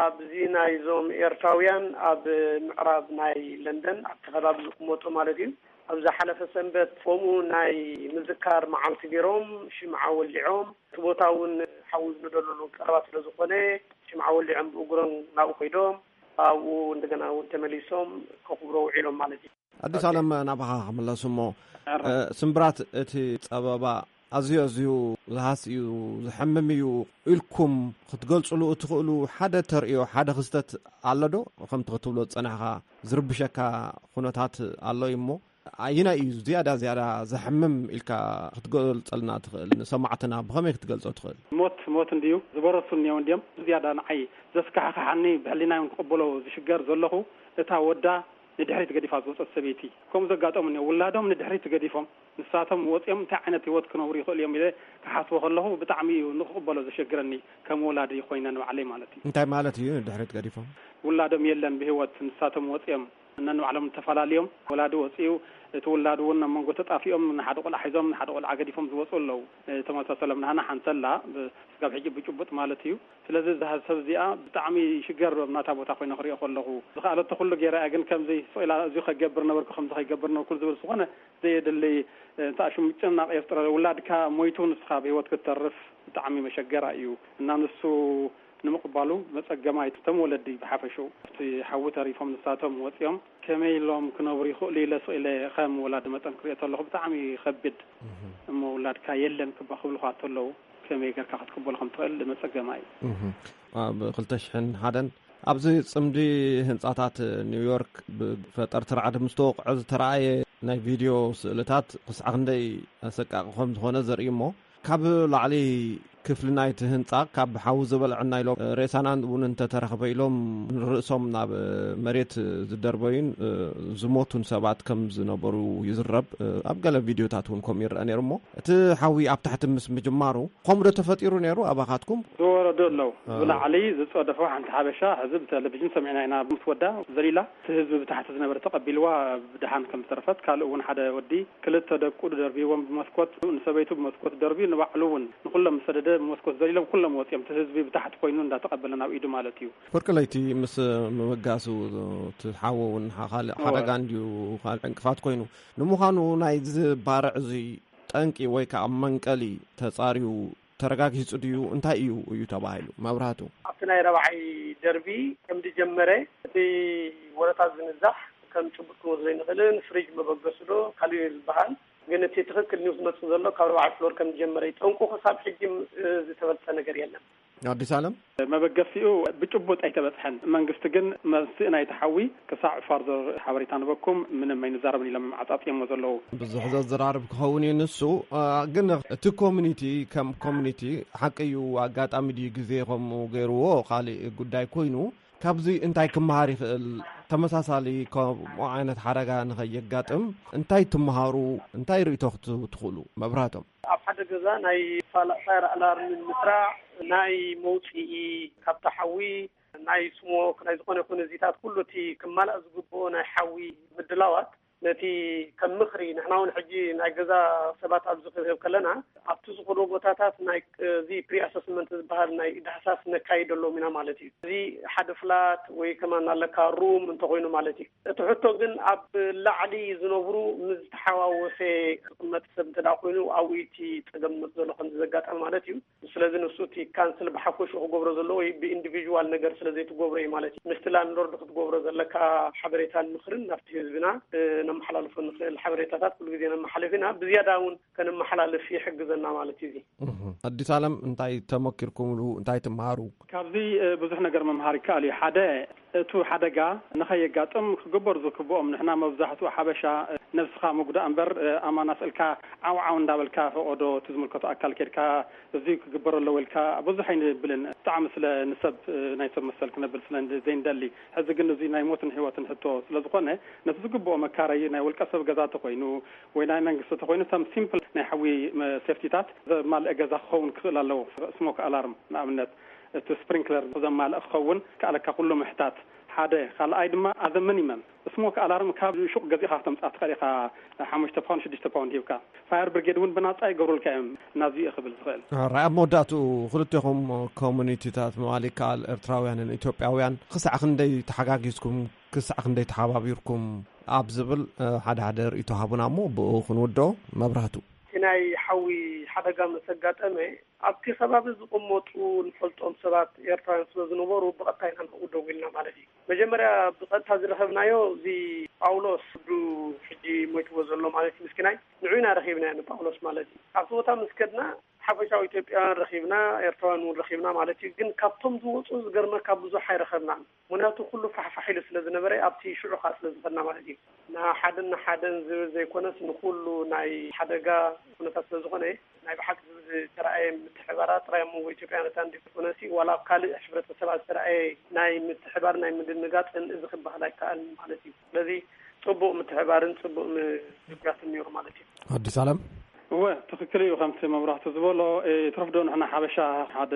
ኣብዚ ናይዞም ኤርትራውያን ኣብ ምዕራብ ናይ ለንደን ኣብቲ ከባቢ ዝቕመጡ ማለት እዩ፣ ኣብ ዝሓለፈ ሰንበት ከምኡ ናይ ምዝካር መዓልቲ ገይሮም ሽምዓ ወሊዖም፣ እቲ ቦታ እውን ሓዊ ዝነደሉሉ ቀረባ ስለ ዝኾነ ሽምዓ ወሊዖም ብእግሮም ናብኡ ከይዶም ኣብኡ እንደገና እውን ተመሊሶም ከኽብሮ ውዒሎም ማለት እዩ። ኣዲስ ኣለም ናባኻ ክምለስ እሞ፣ እ፣ ስምብራት እቲ ጸበባ ኣዝዩ ኣዝዩ ዝሃስ እዩ፣ ዘሐምም እዩ ኢልኩም ክትገልጽሉ እትኽእሉ ሓደ ተርእዮ፣ ሓደ ክስተት ኣሎ ዶ? ከምቲ ክትብሎ ዝጸናሕካ ዝርብሸካ ኩነታት ኣሎ እዩ እሞ፣ ኣየናይ እዩ ዝያዳ ዝያዳ ዘሐምም ኢልካ ክትገልጸልና ትኽእል? ንሰማዕትና ብኸመይ ክትገልጾ ትኽእል? ሞት ሞት እንድዩ፣ ዝበረሱ እኒአው እንድዮም። ዝያዳ ንዓይ ዘስካሕክሓኒ፣ ብሕሊናይ እውን ክቕበሎ ዝሽገር ዘለኹ፣ እታ ወዳ ንድሕሪት ገዲፋ ዝወፀት ሰበይቲ። ከምኡ ዘጋጠሙ እኒኦ፣ ውላዶም ንድሕሪት ገዲፎም ንሳቶም ወፂኦም እንታይ ዓይነት ህይወት ክነብሩ ይኽእሉ እዮም ኢለ ክሓስቦ ከለኹ ብጣዕሚ እዩ ንክቕበሎ ዘሸግረኒ፣ ከም ወላዲ ኮይነ ንባዕለይ ማለት እዩ። እንታይ ማለት እዩ ንድሕሪት ገዲፎም? ውላዶም የለን ብህይወት፣ ንሳቶም ወፂኦም ነንባዕሎም ተፈላለዮም። ወላዲ ወፂኡ፣ እቲ ውላድ እውን ኣብ መንጎ ተጣፊኦም ንሓደ ቆልዓ ሒዞም ንሓደ ቆልዓ ገዲፎም ዝወፁ ኣለዉ። ተመሳሰሎም ናህና ሓንተላ ስጋብ ሕጂ ብጭቡጥ ማለት እዩ። ስለዚ እዛ ሰብ እዚኣ ብጣዕሚ ሽገር ኣብ ናታ ቦታ ኮይነ ክሪኦ ከለኹ፣ ዝኸኣለቶ ኩሉ ገይራ እያ፣ ግን ከምዚ ስቕ ኢላ እዚ ከገብር ነበርኩ፣ ከምዚ ከይገብር ነበርኩ ዝብል ዝኾነ ዘየድሊ፣ እ፣ እንተ ሽም ጭናቕ የፍጥረ። ውላድካ ሞይቱ ንስኻ ብህይወት ክትተርፍ ብጣዕሚ መሸገራ እዩ። እና ንሱ ንምቕባሉ መጸገማይ። እቶም ወለዲ ብሓፈሽኡ ኣብቲ ሓዊ ተሪፎም ንሳቶም ወጺኦም ከመይ ኢሎም ክነብሩ ይኽእሉ ኢለ ስቕ ኢለ ከም ወላዲ መጠን ክሪኦ ተለኹ ብጣዕሚ ይኸብድ። እሞ ውላድካ የለን ክባ ክብልኻ ተለዉ ከመይ ጌርካ ክትቅበሎ ከም ትኽእል መጸገማይ። እህ። ኣብ ክልተ ሽሕን ሓደን ኣብዚ ጽምዲ ህንጻታት ኒውዮርክ ብፈጠርቲ ራዕዲ ምስ ተወቕዐ ዝተራእየ ናይ ቪድዮ ስእልታት ክሳዕ ክንደይ ኣሰቃቂ ከም ዝኾነ ዘርኢ እሞ፣ ካብ ላዕሊ ክፍሊ ናይቲ ህንጻ ካብ ሓዊ ዝበልዐና ኢሎም፣ ሬሳና እውን እንተተረኽበ ኢሎም ንርእሶም ናብ መሬት ዝደርበዩን ዝሞቱን ሰባት ከም ዝነበሩ ይዝረብ። ኣብ ገለ ቪድዮታት እውን ከምኡ ይረአ ነይሩ እሞ፣ እቲ ሓዊ ኣብ ታሕቲ ምስ ምጅማሩ፣ ከምኡ ዶ ተፈጢሩ ነይሩ ኣባኻትኩም? ዝወረዱ ኣለዉ። አ። ብላዕሊ ዝጸደፎ ሓንቲ ሓበሻ፣ ሕዚ ብቴሌቪዥን ሰሚዕና ኢና፣ ምስ ወዳ ዘሊላ፣ እቲ ህዝቢ ብታሕቲ ዝነበረ ተቐቢልዋ፣ ብደሓን ከም ዝተረፈት፣ ካልእ እውን ሓደ ወዲ፣ ክልተ ደቁ ደርቢዎም ብመስኮት፣ ንሰበይቱ ብመስኮት ደርብዩ፣ ንባዕሉ እውን ንኹሎም ምስ ሰደደ፣ ብመስኮት ዘሊሎም ኩሎም ወጺኦም፣ እቲ ህዝቢ ብታሕቲ ኮይኑ እንዳተቐበለ ናብ ኢዱ ማለት እዩ። ፍርቂ ለይቲ ምስ ምብጋሱ፣ እቲ ሓዊ እውን ሓ-፣ ካልእ እወ። ሓደጋ እንድዩ፣ ካልእ ዕንቅፋት ኮይኑ። ንምዃኑ ናይዚ ባርዕ እዚ ጠንቂ ወይ ከዓ መንቀሊ ተጻርዩ ተረጋጊጹ ድዩ? እንታይ እዩ፣ እዩ ተባሂሉ? መብራህቱ። ኣብቲ ናይ ረብዓይ ደርቢ ከም ዝጀመረ እቲ ወረታት ዝንዛሕ ከም ጭቡጥ ክንወስዶ ኣይንኽእልን። ፍሪጅ መበገሱ ዶ ካልእ እዩ ዝበሃል። ግን እቲ ትኽክል ኒውስ መጽእ ዘሎ ካብ ረብዓይ ፍሎር ከም ዝጀመረ እዩ። ጠንቁ ክሳብ ሕጂ፣ እ፣ ዝተፈልጠ ነገር የለን። ኣዲስ ኣለም? መበገሲኡ ብጭቡጥ ኣይተበጽሐን። መንግስቲ ግን መንስእ ናይቲ ሓዊ ክሳዕ ፋርዘር ሓበሬታ ንበኩም ምንም ኣይንዛረብን ኢሎም ዓጻጽዮሞ ዘለዉ። ብዙሕ ዘዘራርብ ክኸውን እዩ ንሱ፣ እ፣ ግን እቲ ኮሚኒቲ ከም ኮሚኒቲ ሓቂ እዩ፣ ኣጋጣሚ ድዩ ግዜ ከምኡ ገይርዎ ካልእ ጉዳይ ኮይኑ፣ ካብዚ እንታይ ክመሃር ይኽእል? ተመሳሳሊ ከምኡ ዓይነት ሓደጋ ንኸየጋጥም እንታይ ትመሃሩ፣ እንታይ ርእይቶ ክት-፣ ትኽእሉ? መብራህቶም። ኣብ ሓደ ገዛ ናይ ፋላ-፣ ፋየር ኣላርም ንምስራዕ፣ ናይ መውፅኢ ካብታ ሓዊ፣ ናይ ስሞክ፣ ናይ ዝኾነ ይኹን እዚታት ኩሉ እቲ ክማላእ ዝግብኦ ናይ ሓዊ ምድላዋት፣ ነቲ ከም ምኽሪ፣ ንሕና እውን ሕጂ ናይ ገዛ ሰባት ኣብዚ ክንህብ ከለና፣ ኣብቲ ዝኾነ ቦታታት ናይ እዚ ፕሪ ኣሰስመንት ዝበሃል ናይ ዳህሳስ ነካይደሎም ኢና ማለት እዩ። እዚ ሓደ ፍላት ወይ ከማን ኣለካ ሩም እንተኾይኑ ማለት እዩ። እቲ ሕቶ ግን ኣብ ላዕሊ ዝነብሩ ምስ ዝተሓዋወሰ ዝቕመጥ ሰብ እንተ ደኣ ኮይኑ ኣብኡ እቲ ጸገም ዝመጽእ ዘሎ ከምዚ ዘጋጠመ ማለት እዩ። ስለዚ ንሱ እቲ ካንስል ብሓፈሽኡ ክገብሮ ዘለዎ ወይ ብኢንዲቪዥዋል ነገር ስለ ዘይትገብሮ እዩ ማለት እዩ። ምስቲ ላንድሎርድ ክትገብሮ ዘለካ ሓበሬታን ምኽርን ናብቲ ህዝብና፣ እ፣ ነመሓላልፎ ንኽእል ሓበሬታታት ኩሉ ግዜ ነመሓልፍ ኢና። ብዝያዳ እውን ከነመሓላልፍ ይሕግዘና ማለት እዩ እዚ። እህ። ኣዲስ ኣለም እንታይ ተመኪርኩምሉ? እንታይ ትመሃሩ? ካብዚ፣ እ፣ ብዙሕ ነገር ምምሃር ይከኣል እዩ። ሓደ፣ እቱ ሓደጋ ንኸየጋጥም ክግበሩ ዝክብኦም፣ ንሕና መብዛሕትኡ ሓበሻ፣ እ፣ ነብስኻ ምጉዳእ እምበር፣ እ፣ ኣማና ስእልካ ዓው ዓው እንዳበልካ ፈቐዶ እቲ ዝምልከቶ ኣካል ኬድካ እዚ ክግበር ኣለዎ ኢልካ ብዙሕ ኣይንብልን። ብጣዕሚ ስለ ንሰብ፣ እ፣ ናይ ሰብ መሰል ክነብል ስለ እንደ-፣ ዘይንደሊ። ሕዚ ግን እዚ ናይ ሞትን ህይወትን ሕቶ ስለ ዝኾነ፣ ነቲ ዝግብኦ መካረይ ናይ ውልቀ ሰብ ገዛ ተኾይኑ ወይ ናይ መንግስቲ ተኾይኑ፣ እቶም ሲምፕል ናይ ሓዊ መ-፣ ሴፍቲታት ዘማልአ ገዛ ክኸውን ክኽእል ኣለዎ። ስሞክ ኣላርም ንኣብነት፣ እቲ ስፕሪንክለር ዘማልእ ክኸውን ከኣለካ ኩሉ ምሕታት ሓደ። ካልኣይ ድማ ኣዘ ሚኒመም ስሞክ ኣላርም ካብ ሹቕ ገዚእኻ ክተምፅኣ ትኽእል ኢኻ። ሓሙሽተ ፓውንድ፣ ሽዱሽተ ፓውንድ ሂብካ ፋየር ብሪጌድ እውን ብናፃ ይገብሩልካ እዮም። ናዚ እዩ ክብል ዝኽእል። ራይ ኣብ መወዳእትኡ ክልቴኹም ኮሚኒቲታት ምባል ይከኣል፣ ኤርትራውያንን ኢትዮጵያውያን ክሳዕ ክንደይ ተሓጋጊዝኩም፣ ክሳዕ ክንደይ ተሓባቢርኩም ኣብ ዝብል፣ እ፣ ሓደ ሓደ ርእይቶ ሃቡና እሞ ብኡ ክንውድኦ። መብራህቱ። እቲ ናይ ሓዊ ሓደጋ ምስ ኣጋጠመ ኣብቲ ከባቢ ዝቕመጡ ንፈልጦም ሰባት ኤርትራውያን ስለ ዝነበሩ ብቐጥታ ኢና ናብኡ ደዊልና ማለት እዩ። መጀመርያ ብቐጥታ ዝረኸብናዮ እዚ ጳውሎስ ወዱ ሕጂ ሞይትዎ ዘሎ ማለት እዩ ምስኪናይ ንዑ ኢና ረኺብናዮ ንጳውሎስ ማለት እዩ። ኣብቲ ቦታ ምስ ከድና ሓፈሻዊ ኢትዮጵያውያን ረኺብና፣ ኤርትራውያን እውን ረኺብና ማለት እዩ። ግን ካብቶም ዝወፁ ዝገርመካ ብዙሕ ኣይረኸብናን። ምኽንያቱ ኩሉ ፋሕፋሕ ኢሉ ስለ ዝነበረ ኣብቲ ሽዑ ከዓ ስለ ዝኸድና ማለት እዩ። ንሓደን ንሓደን ዝብል ዘይኮነስ ንኩሉ ናይ ሓደጋ ኩነታት ስለ ዝኾነ ናይ ብሓቂ ዝብል ዝተረኣየ ምትሕባራ ጥራይ ኣብ መንጎ ኢትዮጵያውያን ኣንዲኮነሲ ዋላ ኣብ ካልእ ሕብረተሰባት ዝተረኣየ ናይ ምትሕባር ናይ ምድንጋጽ እዚ ክበሃል ኣይከኣልን ማለት እዩ። ስለዚ ጽቡቕ ምትሕባርን ጽቡቕ ምዝጉራትን ነይሩ ማለት እዩ። ኣዲስ ኣለም። እወ፣ ትኽክል እዩ። ከምቲ መብራህቱ ዝበሎ፣ እ፣ ትረፍዶ ንሕና ሓበሻ ሓደ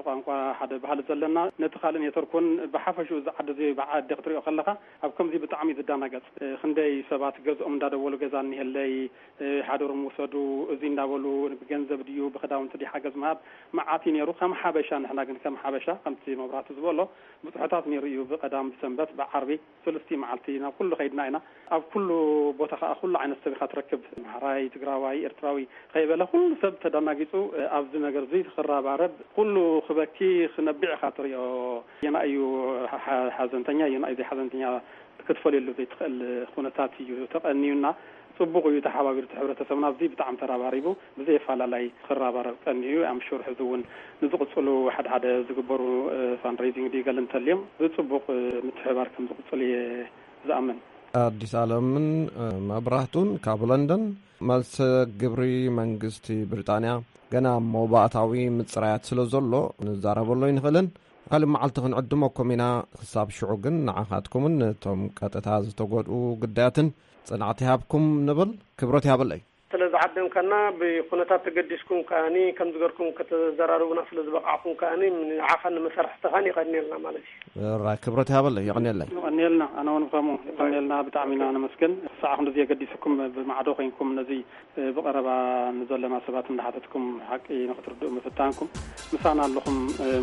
ቋንቋ፣ ሓደ ባህሊ ዘለና፣ ነቲ ካልእ ኔትወርክ እውን ብሓፈሽኡ እዚ ዓዲ እዚ ብዓዲ ክትሪኦ ከለኻ ኣብ ከምዚ ብጣዕሚ ዝዳናገጽ፣ እ፣ ክንደይ ሰባት ገዝኦም እንዳደወሉ ገዛ እኒሀለይ፣ እ፣ ሓደሮም ውሰዱ፣ እዚ እንዳበሉ ብገንዘብ ድዩ ብክዳውንቲ ድዩ ሓገዝ ምሃብ መዓት እዩ ነይሩ። ከም ሓበሻ ንሕና ግን ከም ሓበሻ ከምቲ መብራህቱ ዝበሎ ብፅሑታት ነይሩ እዩ። ብቐዳም ብሰንበት ብዓርቢ ስልስቲ መዓልቲ ናብ ኩሉ ከይድና ኢና። ኣብ ኩሉ ቦታ ከዓ ኩሉ ዓይነት ሰብ ኢኻ ትረክብ። ኣምሓራይ፣ ትግራዋይ፣ ኤርትራዊ ከይበለ ኩሉ ሰብ ተደናጊፁ። ኣብዚ ነገር እዚ ክራባረብ ኩሉ ክበኪ ክነብዕ ኢኻ ትሪኦ። የና እዩ ሓ-፣ ሓዘንተኛ፣ የና እዩ ዘይሓዘንተኛ ክትፈልየሉ ዘይትኽእል ኩነታት እዩ ተቐንዩና። ፅቡቕ እዩ ተሓባቢሩ እቲ ሕብረተሰብና ኣብዚ ብጣዕሚ ተራባሪቡ ብዘየፈላለይ ክራባረብ ቀንዩ እዩ። ኣምሹር ሕዚ እውን ንዝቕፅሉ ሓደ ሓደ ዝግበሩ ፋንድሬዚንግ ድዩ ገለ እንተልዮም ብፅቡቕ ምትሕባር ከም ዝቕፅል እየ ዝኣምን። ኣዲስ ኣለምን መብራህቱን ካብ ለንደን። መልሰ ግብሪ መንግስቲ ብሪጣንያ ገና መባእታዊ ምፅራያት ስለ ዘሎ ንዛረበሉ ኣይንኽእልን። ካልእ መዓልቲ ክንዕድመኩም ኢና። ክሳብ ሽዑ ግን ንዓኻትኩምን ነቶም ቀጥታ ዝተጎድኡ ግዳያትን ጽንዓት ይሃብኩም ንብል። ክብረት ይሃበለይ። ስለ ዝዓደምካና ብኩነታት ተገዲስኩም ከኣኒ ከም ዝገርኩም ከተዘራርቡና ስለ ዝበቃዕኩም ከኣኒ ንዓኻን ንመሳርሕትኻን የቐንየልና ማለት እዩ። ራይ ክብረት ይሃበለይ። የቐንየለይ። የቐንየልና። ኣነ እውን ከምኡ የቐንየልና። ብጣዕሚ ኢና ነመስግን። ክሳዕ ክንድዚ የገዲስኩም ብማዕዶ ኮይንኩም ነዚ ብቐረባ ንዘለና ሰባት እንዳሓተትኩም ሓቂ ንክትርድኡ ምፍታንኩም ምሳና ኣለኹም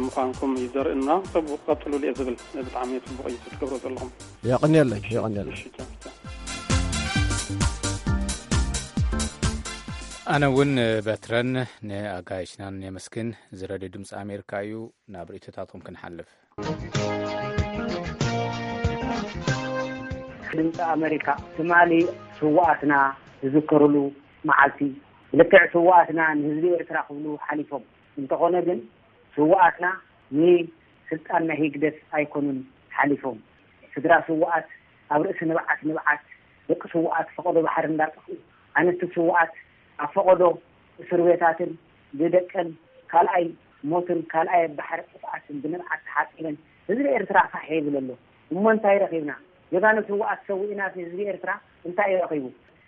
ምዃንኩም እዩ ዘርእና። ጽቡቕ ቀጽሉሉ እየ ዝብል። ብጣዕሚ ጽቡቕ እዩ ትገብሮ ዘለኹም። የቐንየለይ፣ የቐንየለይ። እሺ፣ ቻው፣ ቻው። ኣነ እውን በትረን ንኣጋይሽናን የመስግን። እዚ ሬድዮ ድምፂ ኣሜሪካ እዩ። ናብ ርእይቶታትኩም ክንሓልፍ። ድምፂ ኣሜሪካ ትማሊ ስውኣትና ዝዝከሩሉ መዓልቲ እዩ። ልክዕ ስውኣትና ንህዝቢ ኤርትራ ክብሉ ሓሊፎም። እንተኾነ ግን ስውኣትና ንስልጣን ናይ ህግደፍ ኣይኮኑን ሓሊፎም። ስድራ ስውኣት ኣብ ርእሲ ንብዓት ንብዓት፣ ደቂ ስውኣት ፈቐዶ ባሕሪ እንዳጠፍኡ፣ ኣንስቲ ስውኣት ኣብ ፈቐዶ እስር ቤታትን ብደቀን ካልኣይ ሞትን ካልኣይ ባሕሪ ጥፍኣትን ብንብዓት ተሓጺበን ህዝቢ ኤርትራ ፋሕ ይብል ኣሎ። እሞ እንታይ ረኺብና? ጀጋኑ ስውኣት ሰዊእና ህዝቢ ኤርትራ እንታይ እዩ ረኺቡ?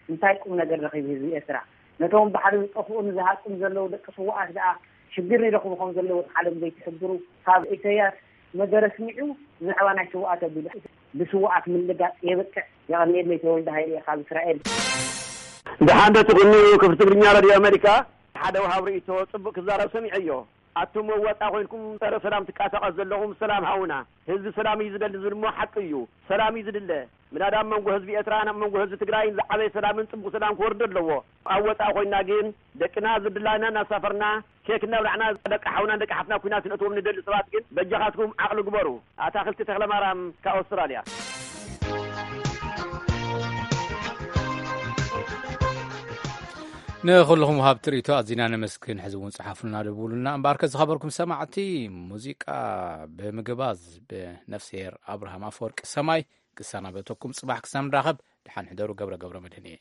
እንታይ ቁም ነገር ረኺቡ ህዝቢ ኤርትራ? ነቶም ባሕሪ ዝጠፍኡን ዝሃጹን ዘለዉ ደቂ ስውኣት ደኣ ሽግር ይረኽቡ ከም ዘለዉ ዓለም ዘይትሕብሩ፣ ካብ ኢሰያስ ነገር ኣስሚዑ ብዛዕባ ናይ ስውኣት ኣቢሉ ብስውኣት ምልጋጽ የብቅዕ። የቐንየለይ። ተወልደ ሃይለ እየ ካብ እስራኤል። ደሓን ዶ ትኹኑ? ክፍቲ ትግርኛ ራድዮ ኣሜሪካ ሓደ ወሃብ ርእይቶ ጽቡቕ ክዛረብ ሰሚዐዮ። ኣቱም መዋጻ ኮይንኩም ጸረ ሰላም ትቃሳቐስ ዘለኹም ሰላም ሃውና። ህዝቢ ሰላም እዩ ዝደሊ ዝብል እሞ ሓቂ እዩ። ሰላም እዩ ዝድለ። ምናዳ ኣብ መንጎ ህዝቢ ኤርትራን ኣብ መንጎ ህዝቢ ትግራይን ዝዓበየ ሰላምን ጽቡቕ ሰላም ክወርድ ኣለዎ። ኣብ ወጻኢ ኮይንና ግን ደቅና ዝድላና እናሳፈርና ኬክ እናብላዕና ደቂ ሓውናን ደቂ ሓፍትና ኩናት ክነእትዎም ንደሊ ሰባት ግን በጃኻትኩም ዓቕሊ ግበሩ። ኣታኽልቲ ተኽለማርያም ካብ ኣውስትራልያ። ንኹልኹም ወሃብቲ ርእይቶ ኣዚና ነመስግን። ሕዚ እውን ጸሓፉልና፣ ደውሉልና። እምበኣርከ ዝኸበርኩም ሰማዕቲ፣ ሙዚቃ ብምግባዝ ብነፍስሄር ኣብርሃም ኣፈወርቂ ሰማይ ክሰናበተኩም። ጽባሕ ክሳብ ንራኸብ ደሓን ሕደሩ። ገብረ ገብረ መድህን እየ።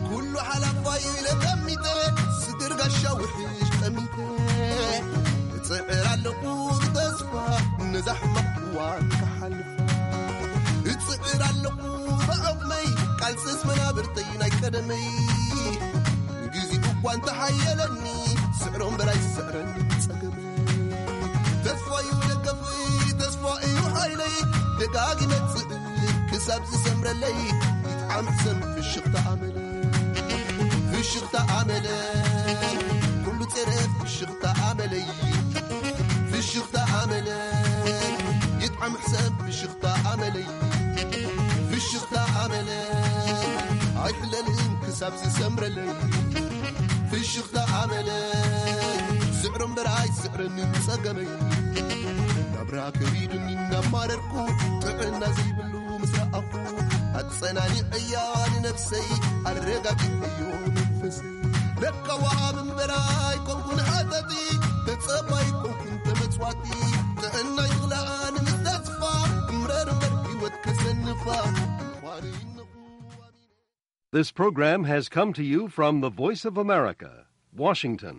ኩሉ ሓላፋይ ኢለ ጠሚተ፣ ስድር ጋሻ ውሕሽ ጠሚተ፣ እጽዕር ኣለኹ ብተስፋ ነዛ ሕማቕ እዋን ክሓልፋ። እጽዕር ኣለኹ ብዓቕመይ፣ ቃልስስ መናብርተይ ናይ ቀደመይ። ግዜ እኳ እንተሓየለኒ፣ ስዕሮ እምበር ኣይስዕረኒ ጸገመይ። ተስፋ እዩ ደገፈይ፣ ተስፋ እዩ ሓይለይ፣ ደጋጊመ እጽዕር ክሳብ ዝሰምረለይ። ይጥዓም ሕሰም ፍሽኽታ ኣመለይ፣ ፍሽኽታ ኣመለይ፣ ኩሉ ጸረ ፍሽኽታ ኣመለይ፣ ፍሽኽታ ኣመለይ፣ ይጥዓም ሕሰም ፍሽኽታ ኣመለይ፣ ፍሽኽታ ኣመለይ፣ ኣይሕለልን ክሳብ ዝሰምረለይ። ፍሽኽታ ኣመለይ፣ ስዕሮ እምበር ኣይስዕረንን ጸገመይ። ናብራ ከቢዱኒ እናማረርኩ፣ ጥዕና ዘይብሉ ምስ ረኣኹ፣ ኣጸናኒዐያ ንነብሰይ፣ ኣረጋጊዐዮ መንፈሰይ። ለካ ወሃብ እምበር ኣይኮንኩን ሃተቲ፣ ተጸባይ ኮንኩን ተመጽዋቲ። ጥዕናይ ዝኽልኣ ንምስተስፋ፣ እምረር እምበር ህይወት ከሰንፋ። እንኳን ይነኹ This program has come to you from the Voice of America, Washington.